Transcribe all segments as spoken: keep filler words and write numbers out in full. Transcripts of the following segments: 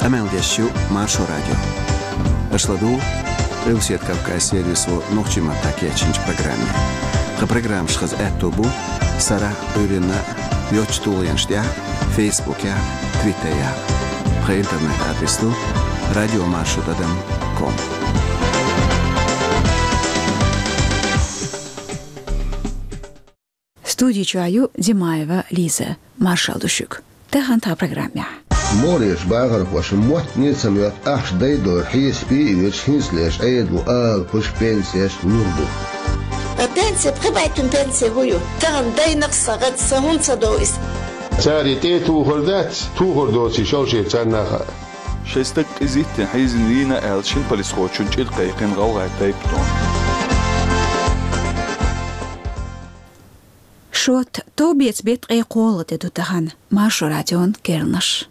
Къамел деш ю Маршо радио. Аша ладугӀу Къилбаседа Кавказ сервисо нохчийн маттахь кечйинчу программе. Тхан программаш хаза аьтто бу сарахь а, Ӏуьйранна а йоцчу тулгӀенаш тӀехь а, Фейсбукехь а, Твиттерехь а. Тхан интернет-адрес ду радио маршо тӀадам ком. Студи чохь ю Димаева Лиза. Маршалла ду шуьга. Тахана тхан программехь. МогӀарерчу бахархоша моттане а ца моьтту ахча дайдалар хьесапе а йоьдуш, хӀинцалерчу Ӏедало алапаш, пенсеш лур ду. Ткъа пенсия, пхи бӀе туьма пенсия хӀун ю? Тахана дайнакх сан гӀад, сан хӀунда ца до иза? Цара и тӀе а тухур дац, тухур доций шал шен царна а хаьа. Шайн стаг къизиттина хьийзина вийна аьлла, шина полисхочунна чӀир кхайкхина гӀалгӀайн тайпа тӀом. Шот, товбеца беттан ткъе кхоалгӀа де ду тахана. Маршо радион керланаш.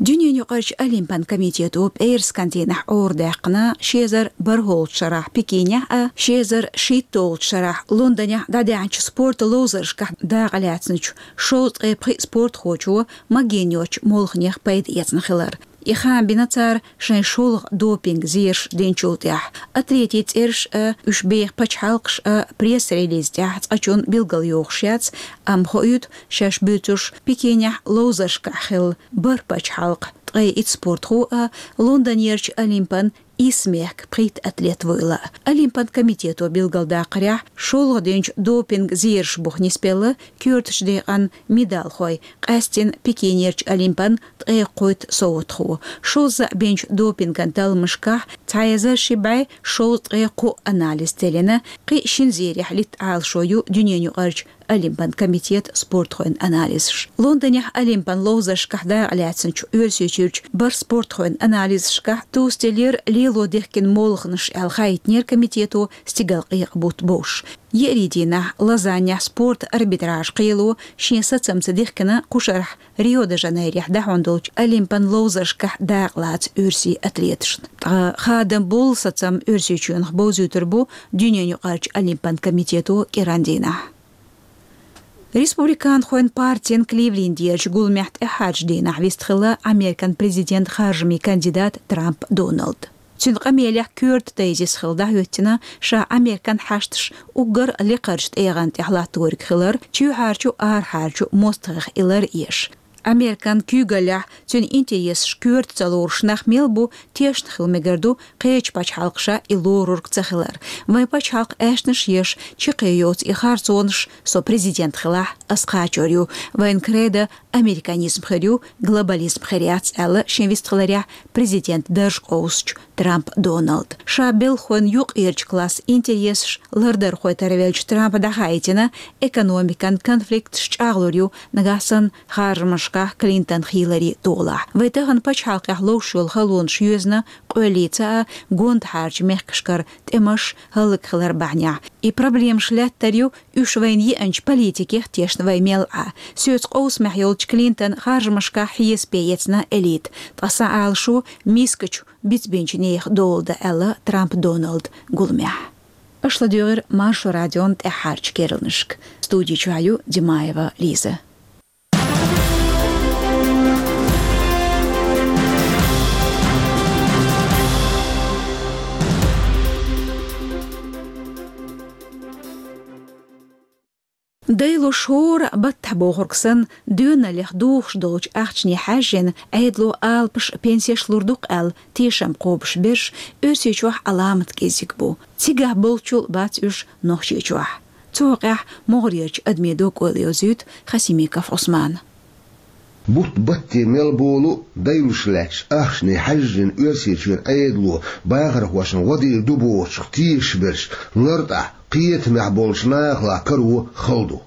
Дуьненаюкъарчу Олимпан комитето пӀераскан дийнахь Ӏорадаьккхина ши эзар бархӀолгӀачу шарахь Пекинехь а, ши эзар шийтталгӀачу шарахь Лондонехь дӀадаьхьначу спортан ловзаршкахь дакъалаьцначу шовзткъе пхи спортхочо магийна йоцучу молханех пайда эцна хилар. И хаам бина цара шайн шолгӀа допинг-зераш динчул тӀаьхьа. Атлетийн цӀераш а, уьш беха пачхьалкхаш а пресс-релиз тӀехь цкъачунна билгалйохуш яц, амма хоуьйту, шаьш буьйцурш Пекинехь ловзаршкахь хилла бархӀ пачхьалкх, ткъе итт спортхо а, Лондонерчу Олимпан исс мехкан пхийтта атлет вуйла. Олимпан комитето билгалдаккхарехь, шолгӀа динчу допинг-зераш буха нисбелла коьртачу декъан медалхой, къаьсттина Пекинерчу Олимпан ткъе кхойтта совгӀатхо. Шозза бинчу допинган талламашкахь цхьа эзар ши бӀе шовзткъе кхоъ анализ теллина, кхин а шина зерехь литта Ӏалашо ю Дуьненаюкъарчу Олимпан комитетан спортхойн анализаш. Лондонехь Олимпан ловзаршкахь дакъалаьцначу Оьрсийчуьрчу бархӀ спортхойн анализашкахь тосаделлера лело дихкина молханаш аьлла хаийтинера комитето стигалкъекъа бутт бовш. Еарин дийнахь Лозаннехь спортан арбитраж кхело шен сацамца дихкина кху шарахь Рио-де-Жанейрехь дӀахьун долчу Олимпан ловзаршкахь дакъалаца оьрсийн атлеташна. Ткъа хадам болу сацам Оьрсийчоьнах бовзуьйтур бу Дуьненаюкъарчу Олимпан комитето кӀиран дийнахь. Республиканхойн партин Кливлендерчу гуламехь тӀаьххьарчу дийнахь вистхилла Американ президент харжамийн кандидат Трамп Доналд. Цуьнан къамелехь коьрта тезис хилла дӀахӀоьттина ша Американ хьашташ уггар лекхарчу тӀегӀан тӀехь латториг хилар, чоьхьарчу, арахьарчу мостагӀех и лар еш. Американ куьйгаллехь цуьнан интересаш коьрта ца лоруш нах мел бу, тешна хила мегар ду кхечу пачхьалкхаша и лорург ца хилар. Вайн пачхьалкх аьшнаш еш, чаккхе йоцу и харцонаш, со президент хилахь, ас кхачор ю. Вайн кредо американизм хир ю, глобализм хир яц, аьлла шен вистхиларехь президент дарж къовсучу Трамп Доналд. Ша белхалойн юккъерчу классан интересаш лардархой тарвеллачу Трампа дӀахаийтина экономикан конфликташ чӀагӀлур ю, нагахь санна харжамашкахь Клинтон-Хиллари толахь. Вай тахана пачхьалкхехь ловш йолу халонаш йоьзна къоьллица а, гондахьарчу мехкашкара тӀемаш, хӀаллакьхилар бахьанехь. И проблемаш лаьттар ю, уьш вайна еанчу политикех тешна вай мел Ӏа. Соьца къовсамехь йолчу Клинтон харжамашкахь хьесапе эцна элита. Ткъа сан Ӏалашо мискачу бицбинчу нехан дола дан, аьлла Трамп Доналд гуламехь. Аша ладуьйгӀира Маршо радион тӀаьххьарчу керланашка. Студи чохь ю Димаева Лиза. Дайлуш хӀора баттахь бохург санна, доьналлех духуш долчу ахчане хьаьжжина, Ӏедало алапаш, пенсеш лур ду-кх аьлла, тешам кхобуш берш Оьрсийчохь Ӏаламат кӀезиг бу. Цигахь болччул бац уьш Нохчийчохь. Цу хьокъехь могӀарерчу адамийн доккхойла йовзуьйту Хасимиков Ӏусмана. Бутт батте мел болу а дайлуш лаьтташ ахчане хьаьжжина Оьрсийчоьнан Ӏедало бахархошна гӀо дийр ду бохучух тешаш берш лартӀахь, кхетамехь болчу нахалахь каро хала ду.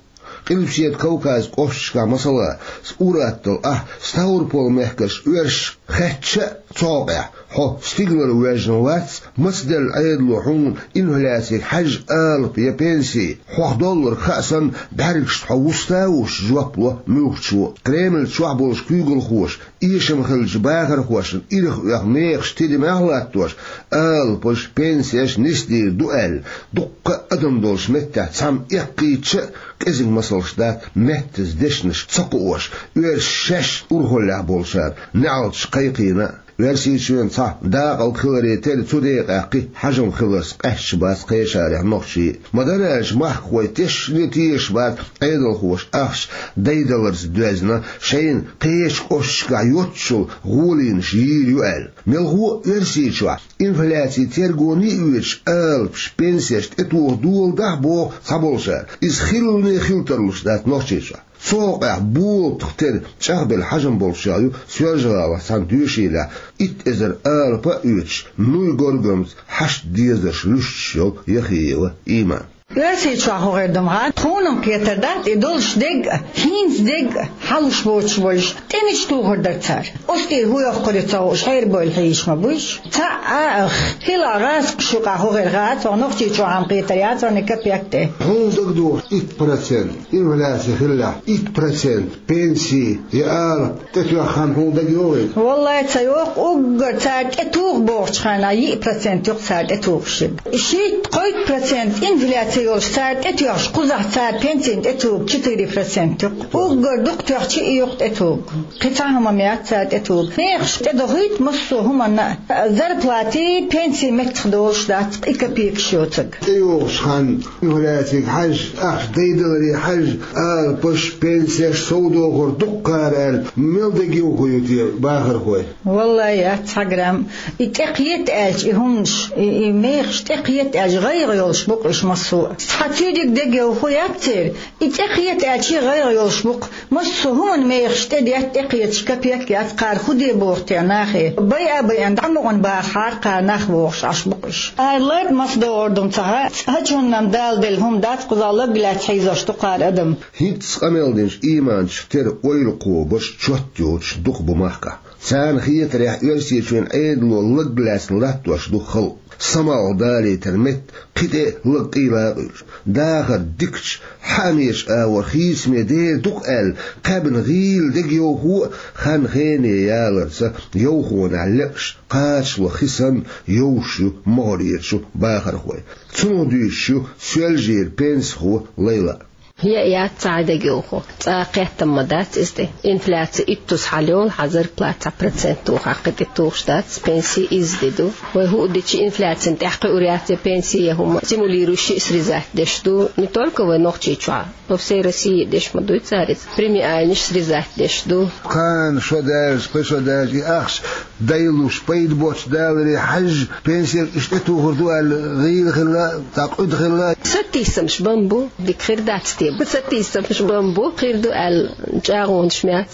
Къилбаседа Кавказ кӀошташкахь, масала, Ураттал ахь, Ставрополь мехкарш оьрсашка хаьттича а цу хьокъехь: «Хьо стигалара воьжна вац, мацделла Ӏедало хьуна инфляцига хьаьжжа алапа я пенси? Хьох долларг хаа санна, бӀаьргашца хьо вуста а вуссуш», — жоп ло муьлххачо. Кремль чохь болчу куьйгалхоша Эшам хиллачу бахархошна ирх оьху мехаш тидамехь а латтош, алапаш, пенсеш нисдийр ду аьлла, дуккха а адам долчу меттехь цхьамма эккхийча а, кӀезиг масалш дац, меттаза дешнаш ца кхоош, оьрсаша шаьш урхаллехь болчара неӀалташ кхайкхийна а. Оьрсийчоьнан цхьа дакъалг хиларе терра, цу декъехь кхин хьажам хиларца къаьсташ бац кхечарах нохчий. Ма-дарра аьлча, махкахой тешне тешаш бац Ӏедалхоша ахча дайдаларца доьзна, шайна кхечу кӀошташкахь йоццушехь гӀоланаш йийр ю аьлла. Мелхо а Оьрсийчохь инфляци тергоне а оьцуш, алапаш, пенсеш тӀетоха доладахь, боху цхьаболчара, иза хиллане хила тарлуш дац Нохчийчохь. Цу хьокъехь болатах тера чӀагӀбелла хьажам болчех ю Соьлжа-ГӀалахь цхьана доьшийлехь итт эзар алапа а оьцуш, нуй горгамца хьашт дезарш луьстуш йолу Яхиева Иман. Оьрсийчохь хӀун хир ду-м хьан, тхуна-м кхетар дац, и долуш дерг а, хӀинца дерг а хьалуш боцуш болуш, тӀе мича тухур дара цара? Оцу тӀе хӀун йоккхур ю ца хууш, хьерабевлла хьийзаш ма буй уьш. Цхьаъ а ах, хилахь гӀазкхаша юкъахь хӀун хир хац, вайн Нохчийчохь-м кхетар яц вайн капек тӀе. Хьуна дагадогӀуш итт процент инфляци хиллехь, итт процент пенси я алапа тӀетоьхна хан хьуна дагайогӀий? Валлай, ца йогӀу, уггар цара тӀетуху бохучу хенахь йиъ процент ю-кх цара тӀетухуш ерг. Шийтта-кхойтта процент инфляци йолуш цара тӀетоьхча, кхузахь цара пенсина тӀетугу четыре процент ю-кх. Уггар дукха тоьхча а ю-кх тӀетугу. Кхин цхьа хӀума-м яц цара тӀетугу. Мехаш тӀедохуьйту массо а хӀуманна а, зарплати, пенси меттах долуш дац-кх и копейкаш йоцург. ТӀейогӀучу ханна инфляцига хьаьжча, ахча дайдаларе хьаьжча, алапаш, пенсеш, совдохур дуккха аьлла, мел дегайовхо ю те бахархой? Валлай, яц цхьа грамм. И тӀекхета аьлча, и хӀуманаш, и, и мехаш тӀекхета аьлча, гӀайгӀа йолуш бу-кх уьш массо а. Цхьа цуьнан дегайовхо яц церан. И тӀекхета аьлча, и гӀайгӀа йолуш бу-кх. Массо а хӀуманан мехаш тӀедетта, тӀекхеташ капек яц, кхара хӀун де боху те нахе. Байа а байина, дӀа мукъана бахахьара кхара нах бохуш Ӏаш бу-кх уьш. Ара ларда маса догӀур ду-м ца хаьа, цхьа чунна-м Дала делла хӀума дац, кхузахь лаг лаьцна хьийзош ду кхара адам. ХӀинцца къамел динчу Иманчух тера ойла кхобуш, чот йоцуш дукха бу махкахь. Царна хетарехь, Оьрсийчоьнан Ӏедало лаг лаьцна латтош ду халкъ. Самукъадалийтар метта кхин тӀе а лаг къийла а къуьйлуш. Дахар дикачу хьаамечу агӀор хийцаме дер ду-кх аьлла, кхаьбна гӀийла дегайовхо а, хан-хене яларца йовхонехь лекъаш кхачало хи санна йовш ю могӀарерчу бахархой. Цунах дуьйцуш ю Соьлжера пенсихо Лайла. Яа яц цхьа а дегайовхо. Цкъа а кхеттам ма дац иза тӀе. Инфляци иттуза хьалайолу, хьан зарплата цхьа процент тухахь кхин тӀе тухуш дац, пенси изза де ду. Вай хӀуъа дича инфляцина тӀехь кхуьур яц я пенси, я хӀума. Стимулирующий срезать деш ду. Не только вай Нохчийчохь, по всей России деш ма дуй цара иза. Премиальнаш срезать деш ду. Кхана шо даьлча, кхин шо даьлча, и ахча дайлуш, пайда боцуш даларе хьаьжжа, пенсеш иштта тӀетухур ду аьлла, гӀийла хилла, цхьа къуьда хилла. Сатийсамаш бан бу, дика хир дац те. Сатийсамаш бан бу, хир ду аьлла, чӀагӀонаш ма яц.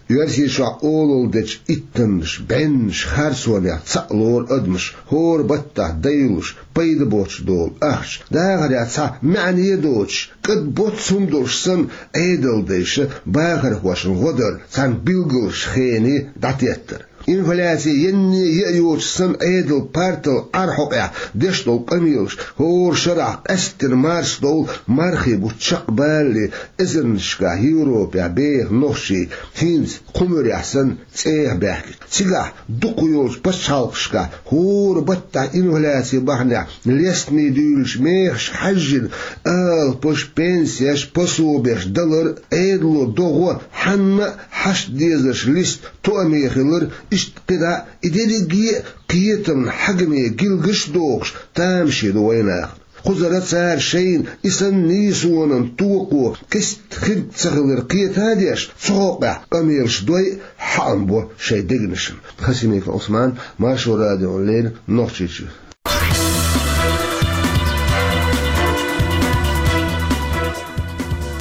Оьрсийчохь олалла дечу иттаннаш, бӀеннаш харцонехь цхьаъ лору адамаш, хӀора баттахь дайлуш, пайда боцуш долу ахча, дахарехь цхьа маьӀне а доцуш, кӀад боццу хӀума долуш санна, Ӏедалдайша бахархошна гӀо дар цхьана билгалчу хене дӀатеттар. Инфляци енне а йоцуш санна, Ӏедалан партал Ӏар хьокъехь деш долу къамелаш, хӀора шарахь къаьсттина марсдовла мархи бутт чекхбалале, эзарнашкахь Европехь беха нохчий хӀинца кху муьрехь санна цӀехьа баьхкича. Цигахь дукха йолчу пачхьалкхашкахь хӀора баттахь инфляци бахьанехь лестаме дуьйлучу мехашка хьаьжжина, алапаш, пенсеш, пособеш далар Ӏедало догӀу хьанна а хьашт дезарш листа тоаме хилар, иштта кхидӀа а и дерриге а кхетамна хьагаме гилгаш а дохуш, тамашийна вайнахана. Кхузара цара шайна и санна нийсонан токхо кист хирг ца хилар кхета а деш, цу хьокъехь къамелаш дой а, хьаам бо шайн дегнашна. Хасимиков Ӏусман, Маршо радиона леррина, Нохчийчуьра.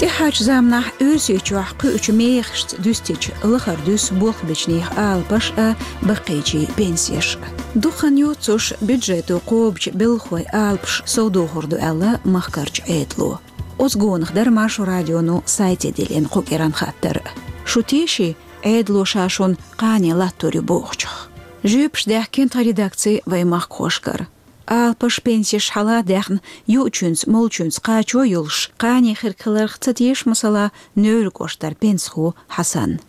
ТӀаьхьарчу заманахь Оьрсийчохь кхуьучу мехашца дуьстича лахара дуьсу болхбечу нехан алапаш а, баккхийчийн пенсеш а. Дукха хан йоццуш бюджето кхобучу белхахойн алапаш совдохур ду аьлла махкарчу Ӏедало. Оцу гонах дара Маршо радионо сайте диллина кху кӀиранан хаттар. Шу теший, Ӏедало ша шуна кхане латтор ю бохучух? Жоьпаш даьхкина тхан редакци вайн махкахошкара. Алапаш, пенсеш хьала а даьхна, юучуьнца, молчуьнца кхачо а йолуш, кхане хирг хиларх ца теша, масала, Невран кӀоштара пенсихо Хьасан.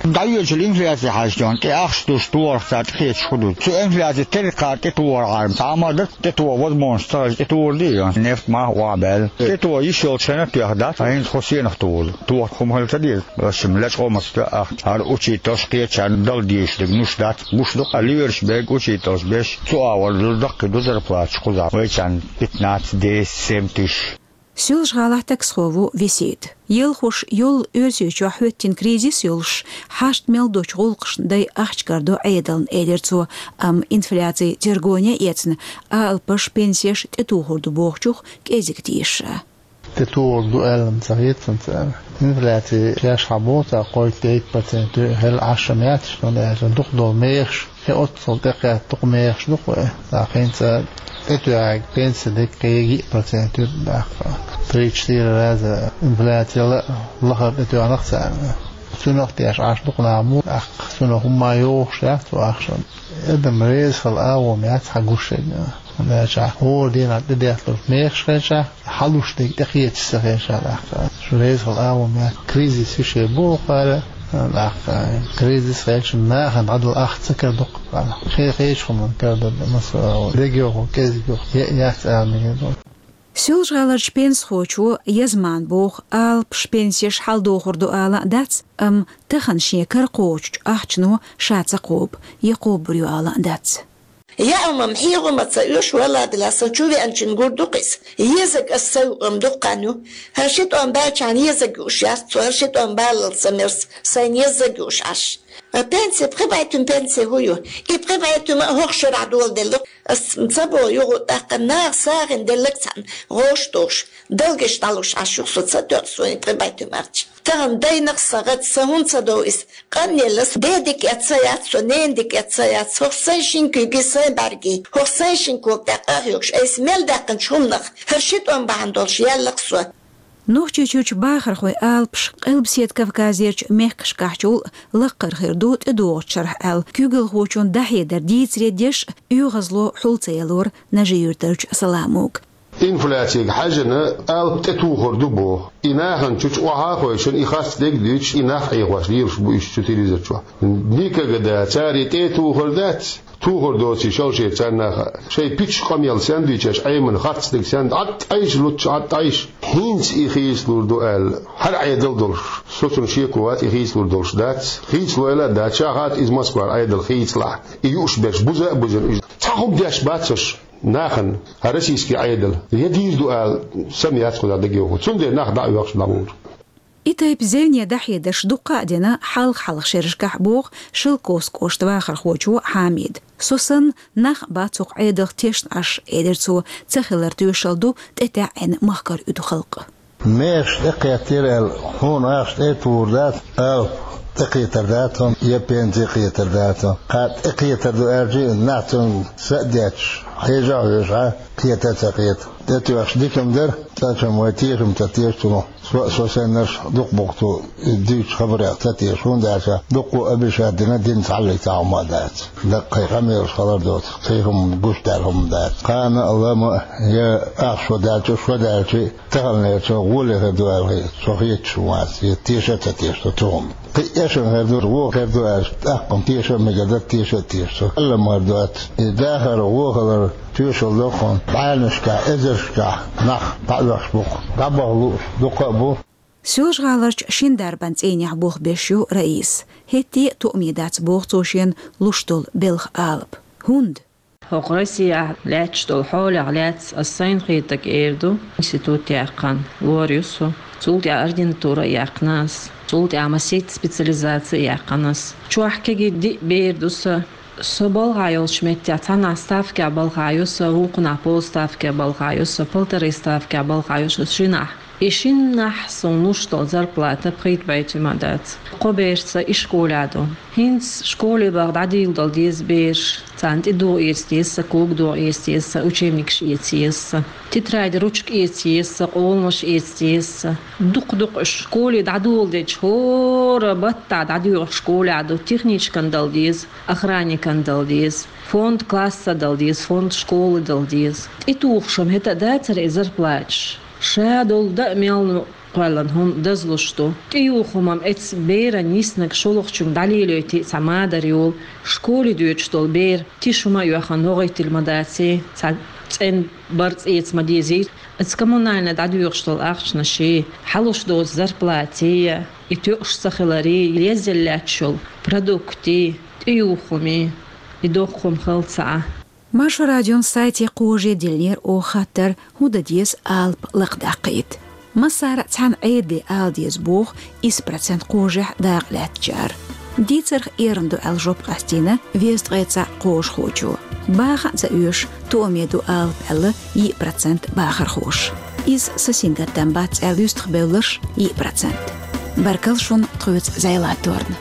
ДӀайоьдучу инфляци хьаьжча, тӀе ахча душ торах цара тӀекхеташ хӀу ду. Цу инфляци теркхар тӀе тохар Ӏарма, цхьа а ма дац, тӀе тоха возможность ца хилча, тӀе тохар ду, нефть мах охьабаьлла. ТӀе тоха йиш йолчу хенахь тоьхна дац, хӀинца хӀо сенах тухур ду. Тоха хӀума хила ца деза, ваьшшимма лечкъо ма ца тоьа ахча. ХӀара учительш кхетачарна дала дезаш дерг гуш дац, гуш ду-кх, лоьраш берг учительш беш, цу агӀор ду даккхий ду зарплаташ кхузахь, вайчарна пятнадцать, десять, семь тысяч. Соьлжа-ГӀалахь таксхо ву Весет. Ялхуш йолу Оьрсийчохь хӀоьттина кризис йолуш, хьашт мел долчу гӀуллакхашна дай ахча карадо Ӏедална, элира цо, амма инфляци тергоне а эцна, алапаш, пенсеш тӀетухур ду бохучух кӀезиг теша. ТӀетухур ду аьлла-м ца хета суна цара. Инфляци шаьш хьан боху цара, кхойтта-дейтта процент ю, хӀара Ӏаш ма яц, хӀунда аьлча дукха долу мехаш, и оццул тӀекхетта дукха мехаш ду-кх вай. ТӀаккха хӀинца тӀетоьхнарг пенси дерг кхин йиъ процент ю, тӀаккха. Три-четыре раза инфляци лахара тӀетоьхна-кх царна. Цунах тешаш Ӏаш дукха нах бу, тӀаккха цунах хӀумма йохуш яц цу ахчанах. Адам реза хила агӀо ма яц хьан гуш ерг. ХӀунда аьлча хӀора дийнахь тӀедетталуш мехаш хилча, хьалуш дерг тӀекхеташ ца хилча, тӀаккха. Шу реза хила агӀо ма яц. Кризис йиш йолу боху кхара, тӀаккха. Кризис хилча нахана дӀадала ахча ца карадо-кх кхара. Кхин кхечу хӀуманна карадо, масала, дегайовхо, кӀезигайовхо, е а яц ала мегар ду. Соьлжа-ГӀаларчу пенсихочо Язмана боху, алапаш, пенсеш хьаладохур ду ала а дац, амма тахана шен кара кхочучу ахчано ша ца кхобу, я кхобур ю ала а дац. Яа хӀума-м, хьий хӀума ца оьшу, валла а, дела, сан чу веанчун гур ду-кх иза. Езарг ас ца юкъам дукха хан ю. ХӀара ши тӀом баьлчахьана езарг юуш яц, цо хӀара ши тӀом баллалц ца мерза, сайна езарг юуш Ӏаш. Пенси, пхи бӀе туьма пенси хӀун ю? И пхи бӀе туьма а хӀокху шарахь доладелла-кх. Ас ца боху юха, тӀаккха наха сагӀина делларг цхьаьна гӀош тухуш, далгаш дӀалуш Ӏаш ю-кх со, ца тоьа суна и пхи бӀе туьма ахча. Тахана дайнах сан гӀад, сан хӀунда ца дов иза? Къанъелла ас, ден дика эцна ца яц со, ненан дика эцна ца яц. ХӀокху сайн шина куьйгий, сайн бӀаьргий, хӀокху сайн шина кога тӀехь къа а хьоьгуш, айса мел даьккхинчу хӀуманах хӀара ши тӀом бахьана долуш яьлла-кх со. Нохчийчуьрчу бахархойн алапаш Къилбаседа Кавказерчу мехкашкахьчул а лаккхара хир ду тӀедогӀучу шарахь аьлла, куьйгалхочун дӀахьедар дийцаре деш а, оьгӀазло хьул ца ялора Нажи-Юьртарчу Саламога. Инфляцига хьаьжжина, алапаш тӀетухур ду боху. И нахана чу чу охьа а хойшина, и харц дерг а дуьйцуш, и нах Ӏехош лелаш бу уьш цу телевизор чохь. Никогда цара и тӀе а тухур дац. Тухур доций шалшера царна а хаьа. Шайн пичча къамел сен дуьйцуш, Ӏемина харц дерг сен, Ӏад Ӏайша лучча, Ӏад Ӏайша. ХӀинца и хийцалур ду аьлла, хӀара Ӏедал долуш, со цунна шеко вац, и хийцалур долуш дац. Хийцалойла а дац, ша хаьа иза Москвара Ӏедал хийцалахь. И юуш берш буза а бузина уьш. Цхьа хӀума деш бац уьш нахана, хӀара российский Ӏедал. Я дийр ду ала, сан яц кхузахь дагайовхо. Цундела нах дӀа а оьхуш дӀавуьйр. И тайпа зевне дӀахьедарш дуккха а дина хьалха-хьалха шерашкахь, боху Шелковски кӀоштан вахархочо Хьамида. Со санна, нах а бац хӀокху Ӏедалх тешна Ӏаш, элира цо, ца хилар тоьшалла ду тӀетаьӀӀина махкара уьду халкъ. Мехаш тӀекхеттера аьлла, хьуна ахча тӀе а тухур дац, алапаш тӀекхетар дац хьуна, я пенси кхетар дац хьуна. Кхана тӀекхетар ду аьлча а, нах цунна са а детташ, хьежа а хьоьжуш, кхета а ца кхета. ТӀетоьхча дика-м дара, цкъачунна вай тешам ца теша цунах. Со а, со саннарш а дукха бу-кх цо и дуьйцучу хабарех ца теша, хӀунда аьлча дуккха а обещать дина, дина цхьаллиг цхьа хӀума а дац. Даккхий къамелаш хилар доцу, кхин хӀума гуш даьлла хӀума дац. Кхана а, лама а, я ахча шо даьлча а, шо даьлча а, таханлерчу гӀоле хир ду аьлла, со хеташ вац, я теша а ца теша со цу хӀуманна. Кхин а эшам хир ду, вон хир ду аьлча, тӀаккха-м теша а мегар дац, теша а теша со. Аллам хир ду аьлла, и дахар, вон хилар тоьшалла до-кх хьуна. БӀаьрнашкахь, эзаршкахь нах дӀаоьхуш бу-кх, дӀабаха лууш дуккха а бу. Соьлжа-ГӀаларчу шина дарбан цӀийнехь болх беш ю Раиса. ХӀетте а тоъаме дац, боху цо, шена луш долу белхан алапа. ХӀунда? ХӀокху Россехь лаьтташ долу хьолех лаьцна ас сайна хетарг эр ду. Институт яьккхина лор ю со. Цул тӀаьхьа ординатура а яьккхина ас. Цул тӀаьхьа масийтта специализаци а яьккхина ас. Чохь кегий диъ бер ду сан. Со балхахь йолчу меттехь цхьаннахь ставкехь балхахь ю сан, вукхунахь полставкехь балхахь ю сан, полторы ставкехь балхахь ю сан шинахь. И шиннахь суна луш долу зарплата пхийтта бӀе туьма дац. Кхо берца и школехь ду. ХӀинца школе баха дӀадийла долу деза бераш, царна тӀедугӀа эца деза сан, когадугӀа эца деза сан, учебникаш эца еза сан, тетради, ручка эца еза сан, къоланаш эца деза сан. Дукха-дукха уьш школе дӀадоладелча, хӀора баттахь дӀадоьгӀуш школехь ду, техничкан дала деза, охранникан дала деза, фонд класса дала деза, фонд школы дала деза. ТӀетухуш-м хӀета а дацара и зарплаташ. Ша долу даа мел кхоьллина хӀума дазлуш ду. ТӀеюхамам эцца беран йиснарг шолгӀачуьнга дӀалелойтий цхьа мадар йолу, школе доьдуш долу бер тиша хӀума а йоьхна вогӀийтина ма даций, цхьа цӀена барзкъа эца ма дезий. Эцца коммунальни дӀадоьхуш долу ахчанаш, хьалуш доцу зарплати, и тоьуш ца хилари, леззал лаьтташ йолу продукти, тӀеюхами, и доккха хӀума хилла ца Ӏа. Маршо радион сайте кхоже диллинера оха хаттар, хӀун дан деза алапа лакхадаккхийта. Массара а цхьана Ӏедале ала деза боху исс процент кхожехь дакъа лаьттачара. Дийцарх эрна ду аьлла жоп къастийна везткъе цхьаъ кхожахочо. Баха а ца оьшу, тоаме ду алапа аьлла йиъ процент бахархоша. Иза са сингаттам бац аьлла юьстахбевлларш йиъ процент. Баркалла шуна тхоьца зӀе латторна.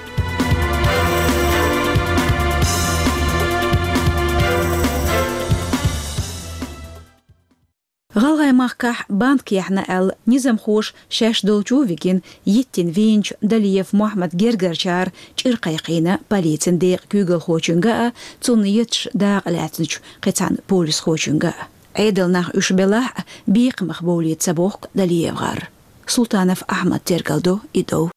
ГӀалгӀай махкахь банк яьхьна аьлла, низамхоша шаьш долчу а вигина, йиттина вийначу Далиев Мохьмадан гергарчара чӀир кхайкхийна полицин декъан куьйгалхочуьнга а, цунна етташ дакъа лаьцначу кхин цхьана полисхочуьнга а. Ӏедалан нах уьш белахь а, бекхамах бовлийта ца бохку ДалиевгӀар. Султанов Ахьмада тергалдо и дов.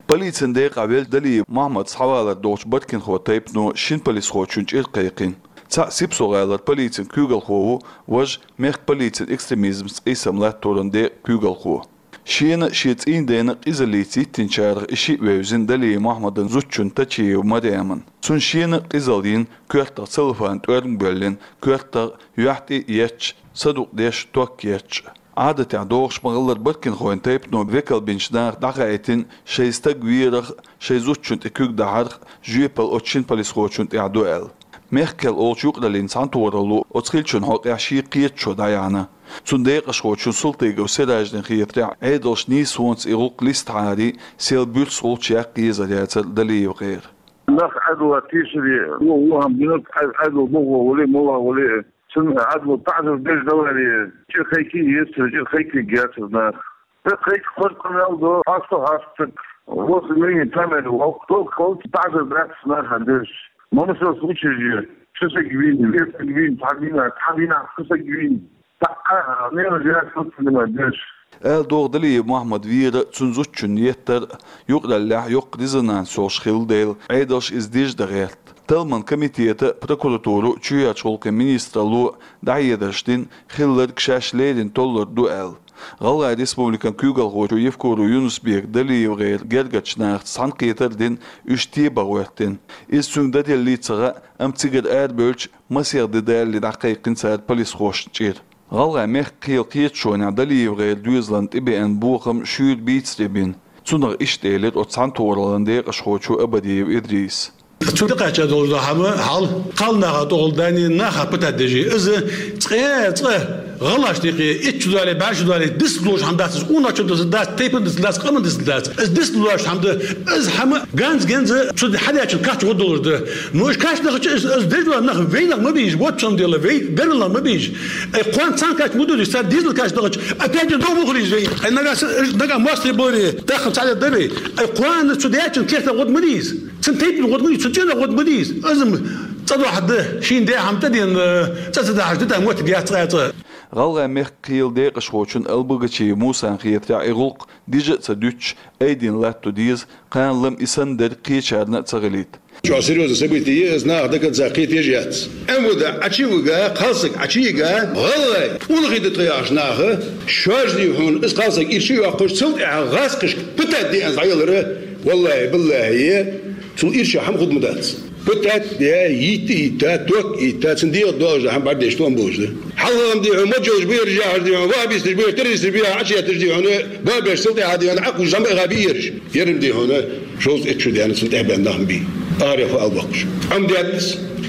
Полицин декъахь веллачу Далиев Мохьмада схьавалар долчу Баркинхойн тайпано шина полисхочун чӀир кхайкхийна. Цхьаъ Сипсо-ГӀалара полицин куьйгалхо ву, важа мехкан полицин экстремизмца къийсам латторан декъан куьйгалхо. Шена а, шен цӀийнан дена а къизаллица йиттинчарах и шиъ вевзина Далиев Мохьмадан зудчунна Тачиева Марьямна. Цунна шена а къизалла йина, коьртах целлофан тӀоьрмиг боьллина, коьртах юьхь тӀе а етташ, садукъдеш ток етташ. Ӏадатехь догӀуш ма-хиллара Баркинхойн тайпано векал бинчу нахах дӀахаийтина шайн стаг верах а, шайн зудчунна тӀе куьг дахьарх а жоьпалла оцу шина полисхочунна тӀехь ду аьлла. Мехкан кхел олучу юкъараллин цхьаьнатохаралло оцу хиллачун хьокъехь шен кхеташо дӀаяьхьна. Цунна декъашхочун Султыгов Сираждина хетарехь, Ӏедалша нийсонца и гӀуллакх листахьара, сел буьрса гӀулч яккха езар яцара ДалиевгӀеран. Нах Ӏедало тийсаре, вон, вон хӀума динарг Ӏе-, Ӏедало бохо вале, молла вале. Цунна Ӏедало таӀзар деш даларе, чӀир кхайкхийта еза, чӀир кхайкхийта гецара нах. Ткъа кхайкхо кхоьру къамел до, хьаста хьаста. Вот имени камера, вокхо кхоьллу таӀзар дац нахана деш. Ма масал случай же, шу саг вийна, вер саг вийна, цхьа вийна, цхьа вийна, шу саг вийна. ТаӀа, нера жаьцлуц ма деш. Ала догӀу Далиев Мохьмад вийра, цуьнан зудчунна еттар а юкъараллехь йоккха резонанс йолуш хилла дела, Ӏедалша иза дижа дан гӀерта. Талламан комитета а, прокуратуро а, чоьхьарчу гӀуллакхийн министралло а дӀахьедарш дина, хилларг шаьш леррина толлур ду аьлла. ГӀалгӀай Республикан куьйгалхочо Евкуров Юнус-Бека ДалиевгӀеран гергарчу нахаца цхьаьнакхетар а дина, уьш тебан гӀоьртина. Иза цуьнга дан деллий ца хаьа, амма цигара арабевлча, масех де далале дӀакхайкхина цара полисхошна чӀир. ГӀалгӀай мехкан кхелан кхеташонехь ДалиевгӀеран доьзална тӀебеана бохам шуьйра бийцаре бина. Цунах иштта элира оцу цхьаьнатохараллин декъашхочо Абадиев Идриса. Цунна тӀекхаьчна долу хӀума хьал, кхалнаха тӀехула дани наха пытать деш. Иза цкъа, цкъа гӀалгӀашна юкъе итт шо дале, бӀе шо дале, дицлуш хӀума дац, иза къонахчун дицлуш дац, тайпан дицлуш дац, къаман дицлуш дац. Иза дицлуш хӀума ду, иза хӀума ганз-ганза цу хьадаьчун кхача гӀо долуш ду. Ну, уьш кхача дахча, иза, иза деш долу нах вайнах ма бийша, вот в чём дело, вай гарнах ма бийша. Ай, кхоьллина цхьаьна кхача ма ду, цара дезал кхача дахча. Опять же, догӀу мухалийза вай. Ай, нагахь са-, нагахь мостагӀий боре, даха цхьаьна даре. Ай, кхоьллина цу даьчун кехатах гӀо ма дийза. Цуьнан тайпана гӀо ма дийза, цуьнан цӀенах гӀо ма дийза. Иза м-, цӀа дохьа ду, шийна де хӀума тӀедена, цӀа ца дахьаш ду, тӀаккха моттиг яц цкъа а цкъа. ГӀалгӀай мехкан кхелан декъашхочун Албогачиев Мусан хетарехь, и гӀуллакх дижа а ца дуьтуш, айдина латто деза, кхана лама и санна дерг кхечарна а ца хилийта. Чохь серьёзное событие ю, иза наха до конца кхеташ яц. Ӏемада Ӏачу а вига, кхалсаг Ӏачу а йига, гӀалгӀай, уллохь ду тхо яхаш наха, шоьжди хьуна, иза кхалсаг ирча а йоккхуш, цул тӀаьхьа гӀазкхашка пытать де аьлла дӀаялара, валлахӀи, биллахӀи, цул ирча хӀума хург ма дац. Пытать де, йитта а йитта, ток а йитта, цунна дегӀа долуш ду хӀума бӀаьрдеш тоам болуш ду. Хьалха-м де хьуна, маджолаш бу ераш, яхьаш де хьуна, ваххабисташ бу ераш, террористаш бу ераш, Ӏачу етташ де хьуна, бабеш салтехьа де хьуна, Ӏакхуш замбаха бу ераш. Ерам де хьуна, шовзткъа итт шу даьнна цунна тӀехь бен нах ма бий. Арахьа албаккхуш. Ӏам детта,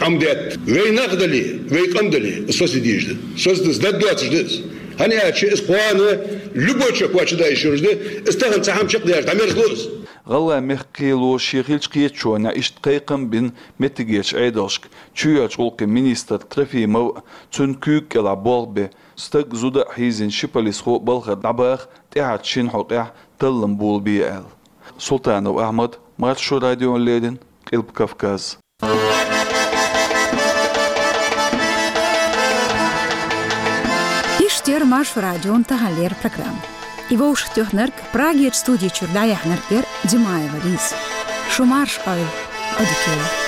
Ӏам детта. Вай нах дале, вай къам дале, соцаде дезаш ду. Соцаде дезаш ду, доцуш ду иза. ХӀана аьлча иза кхоана любой чакхвача даьш йолуш ду, иза тахана цхьа хӀума чекхдаьлча дӀамерзало иза. ГӀалгӀай мехкан кхело шен хиллачу кхеташонехь иштта кхайкхам а бина меттигерчу Ӏедалшка, чоьхьарчу гӀуллакхийн министр Трофимов а, цуьнан куьйга кӀелахь болх бен, стаг а, зуда а хьийзина ши полисхо а балхара дӀабаха, тӀаьхьарчу шина хьокъехь таллам болабе аьлла. Султанов Ахьмад, Маршо радиона леррина, Къилба Кавказ. Иштта Маршо радион тахан леррина программа. И вовшахтоьхнарг, Прагерчу студи чуьра дӀаяьхьнарг яра Димаева Лиза. Шу марша Ӏойла, Ӏодика йойла.